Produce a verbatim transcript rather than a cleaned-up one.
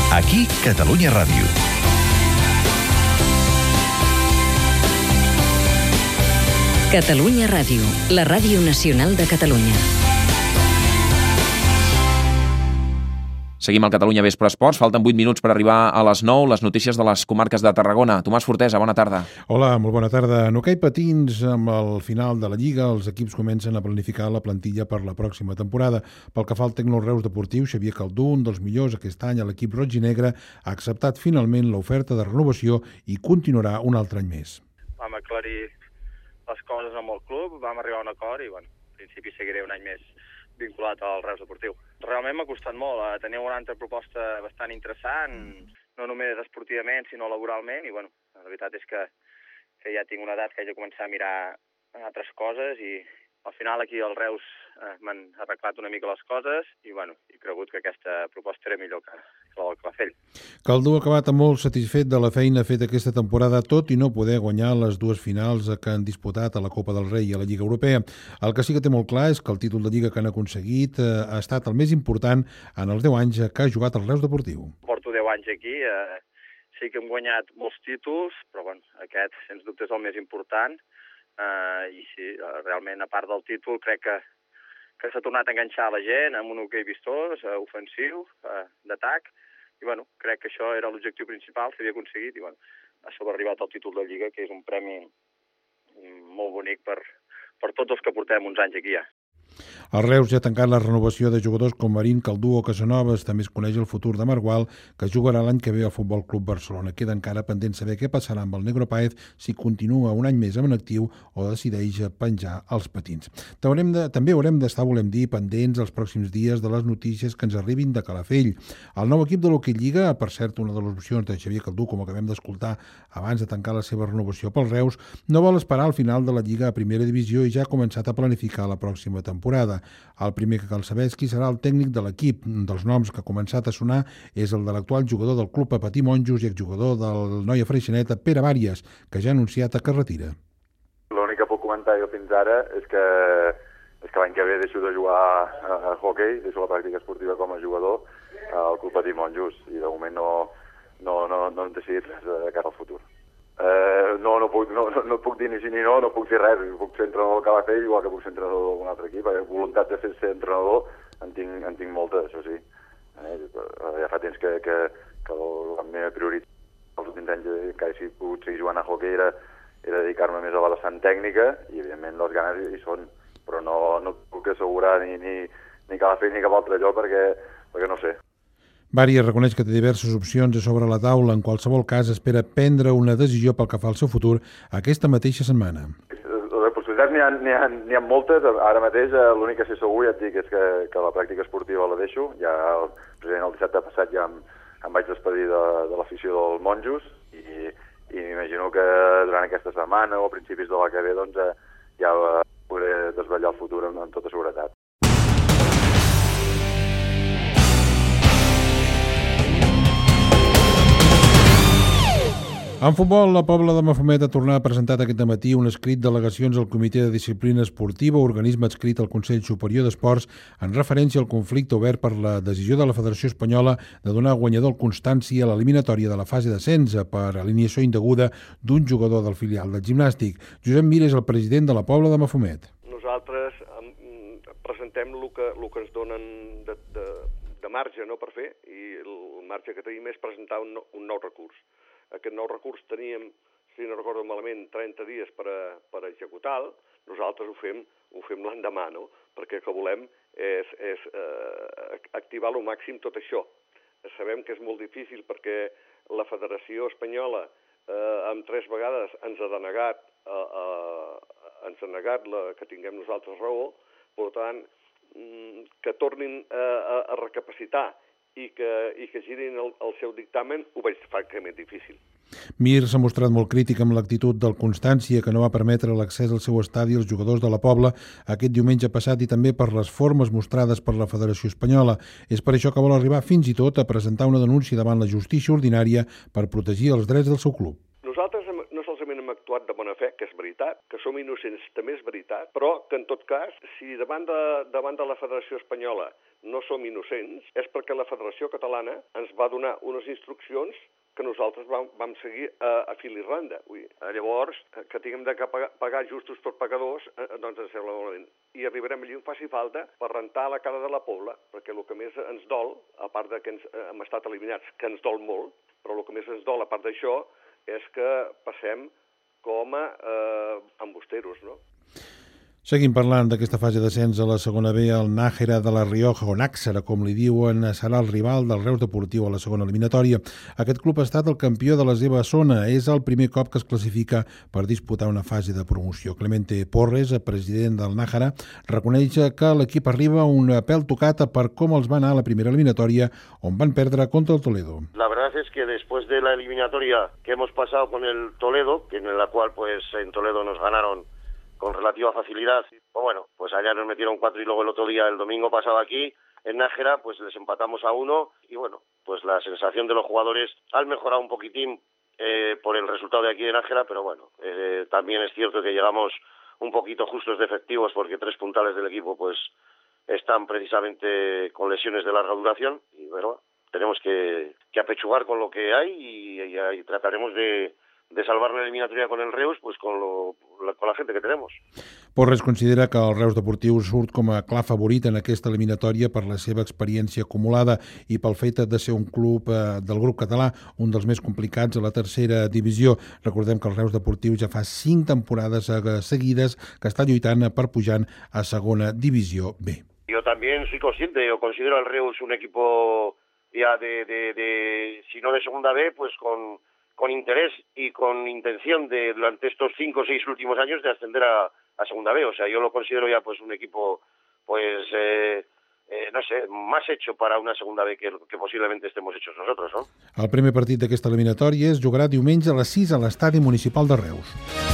Aquí, Catalunya Ràdio. Catalunya Ràdio, la ràdio nacional de Catalunya. Seguim al Catalunya Vespre Esports. Falten vuit minuts per arribar a les nou. Les notícies de les comarques de Tarragona. Tomàs Fortesa, bona tarda. Hola, molt bona tarda. En hoquei patins, amb el final de la Lliga, els equips comencen a planificar la plantilla per la pròxima temporada. Pel que fa al Tecno Reus Deportiu, Xavier Caldú, un dels millors aquest any a l'equip roig i negre, ha acceptat finalment l'oferta de renovació i continuarà un altre any més. Vam aclarir les coses amb el club, vam arribar a un acord i, bueno, en principi seguiré un any més vinculat al Reus Deportiu. Realment m'ha costat molt, eh? Tenia una altra proposta bastant interessant, no només esportivament, sinó laboralment, i bueno, la veritat és que, que ja tinc una edat que haig de començar a mirar altres coses, i al final aquí al Reus eh, m'han arreglat una mica les coses, i bueno, he cregut que aquesta proposta era millor que, que la del Calafell. Caldú ha acabat molt satisfet de la feina feta aquesta temporada, tot i no poder guanyar les dues finals que han disputat a la Copa del Rei i a la Lliga Europea. El que sí que té molt clar és que el títol de Lliga que han aconseguit eh, ha estat el més important en els deu anys que ha jugat el Reus Deportiu. Porto deu anys aquí, eh, sí que hem guanyat molts títols, però bueno, aquest, sens dubte, és el més important. Uh, i sí, realment, a part del títol, crec que, que s'ha tornat a enganxar la gent amb un hoquei vistós, uh, ofensiu, uh, d'atac, i bueno, crec que això era l'objectiu principal, s'havia aconseguit, i bueno, ha sobrearribat el títol de Lliga, que és un premi molt bonic per, per tots els que portem uns anys aquí ja. El Reus ja ha tancat la renovació de jugadors com Marín, Caldú o Casanovas. També es coneix el futur de Margual, que jugarà l'any que ve al Futbol Club Barcelona. Queda encara pendent saber què passarà amb el Negro Páez si continua un any més en actiu o decideix penjar els patins. De, també haurem d'estar, volem dir, pendents els pròxims dies de les notícies que ens arribin de Calafell. El nou equip de l'Hoquei Lliga, per cert, una de les opcions de Xavier Caldú, com acabem d'escoltar abans de tancar la seva renovació pel Reus, no vol esperar al final de la Lliga a Primera Divisió i ja ha començat a planificar la pròxima temporada. El primer que cal saber és qui serà el tècnic de l'equip. Un dels noms que ha començat a sonar és el de l'actual jugador del club a Patí Monjos i exjugador del Noia Freixeneta, Pere Bàries, que ja ha anunciat que es retira. L'únic que puc comentar jo fins ara és que, és que l'any que ve deixo de jugar a, a hoquei, deixo la pràctica esportiva com a jugador al club Patí Monjos, i de moment no, no, no, no hem decidit res de cara al futur. Uh, no, no, puc, no, no, no puc dir ni sí ni no, no puc dir res. Puc ser entrenador del Calafell, igual que puc ser entrenador d'algun altre equip. La voluntat de fer ser entrenador en tinc, en tinc molta, això sí. Eh, ja fa temps que, que, que la meva prioritat els últims anys que he pogut seguir jugant a hoquei era, era dedicar-me més a la vessant tècnica, i evidentment les ganes hi són, però no, no puc assegurar ni, ni, ni Calafell ni cap altre lloc perquè, perquè no sé. Bàries reconeix que té diverses opcions a sobre la taula. En qualsevol cas, espera prendre una decisió pel que fa al seu futur aquesta mateixa setmana. Les possibilitats n'hi ha, n'hi ha, n'hi ha moltes. Ara mateix l'únic que sé segur, ja et dic, és que, que la pràctica esportiva la deixo. Ja el, el dissabte passat ja em, em vaig despedir de, de l'afició dels monjos, i, i m'imagino que durant aquesta setmana o a principis de la que ve doncs, ja podré desvetllar el futur amb, amb tota seguretat. En futbol, la Pobla de Mafumet ha tornat a presentar aquest matí un escrit d'al·legacions al Comitè de Disciplina Esportiva, organisme adscrit al Consell Superior d'Esports, en referència al conflicte obert per la decisió de la Federació Espanyola de donar guanyador al Constància a l'eliminatòria de la fase d'ascens per alineació indeguda d'un jugador del filial del gimnàstic. Josep Mir és el president de la Pobla de Mafumet. Nosaltres presentem el que, el que ens donen de, de, de marge, no, per fer, i el marge que tenim és presentar un, un nou recurs. Aquest nou recurs teníem, si no recordo malament, trenta dies per, a, per executar-lo. Nosaltres ho fem, ho fem l'endemà, no? Perquè el que volem és, és eh, activar al màxim tot això. Sabem que és molt difícil perquè la Federació Espanyola eh, amb tres vegades ens ha denegat, eh, eh, ens ha negat la, que tinguem nosaltres raó. Per tant, que tornin a, a, a recapacitar i que, i que girin el, el seu dictamen, ho veig francament difícil. Mir s'ha mostrat molt crític amb l'actitud del Constància, que no va permetre l'accés al seu estadi als jugadors de la Pobla aquest diumenge passat, i també per les formes mostrades per la Federació Espanyola. És per això que vol arribar fins i tot a presentar una denúncia davant la justícia ordinària per protegir els drets del seu club. Nosaltres no solament hem actuat actuat de bona fe, que és veritat, que som innocents també és veritat, però que en tot cas, si davant de, davant de la Federació Espanyola no som innocents, és perquè la Federació Catalana ens va donar unes instruccions que nosaltres vam, vam seguir a, a fil i randa. Ui, llavors, que tinguem de pagar, pagar justos per pagadors, eh, doncs ens sembla malament. I arribarem allí on faci falta per rentar la cara de la pobla, perquè el que més ens dol, a part de que ens, eh, hem estat eliminats, que ens dol molt, però el que més ens dol, a part d'això, és que passem com a eh, embusteros, no? Seguim parlant d'aquesta fase d'ascens a la segona B. El Nájera de la Rioja, o Náxera, com li diuen, serà el rival del Reus Deportiu a la segona eliminatòria. Aquest club ha estat el campió de la seva zona. És el primer cop que es classifica per disputar una fase de promoció. Clemente Porres, president del Nájera, reconeix que l'equip arriba un pèl tocat per com els va anar a la primera eliminatòria, on van perdre contra el Toledo. La verdad es que después de la eliminatoria que hemos pasado con el Toledo, en la cual pues en Toledo nos ganaron con relativa facilidad, pues bueno, pues allá nos metieron cuatro y luego el otro día, el domingo pasado aquí, en Nájera, pues les empatamos a uno y bueno, pues la sensación de los jugadores ha mejorado un poquitín eh, por el resultado de aquí de Nájera, pero bueno, eh, también es cierto que llegamos un poquito justos de efectivos porque tres puntales del equipo pues están precisamente con lesiones de larga duración y bueno, tenemos que, que apechugar con lo que hay y, y, y trataremos de de salvar la eliminatoria con el Reus pues con, lo, la, con la gente que tenemos. Porres considera que el Reus Deportiu surt com a clar favorit en aquesta eliminatòria per la seva experiència acumulada i pel fet de ser un club eh, del grup català, un dels més complicats a la tercera divisió. Recordem que el Reus Deportiu ja fa cinc temporades seguides que està lluitant per pujar a segona divisió B. Yo también soy consciente, yo considero al Reus un equipo ya de, de, de si no de segunda B, pues con con interés y con intención de durante estos cinco o seis últimos años de ascender a, a segunda B. O sea, yo lo considero ya pues un equipo, pues, eh, eh, no sé, más hecho para una segunda B que, que posiblemente estemos hechos nosotros, ¿no? El primer partit d'aquesta eliminatòria es jugarà diumenge a les sis a l'estadi municipal de Reus.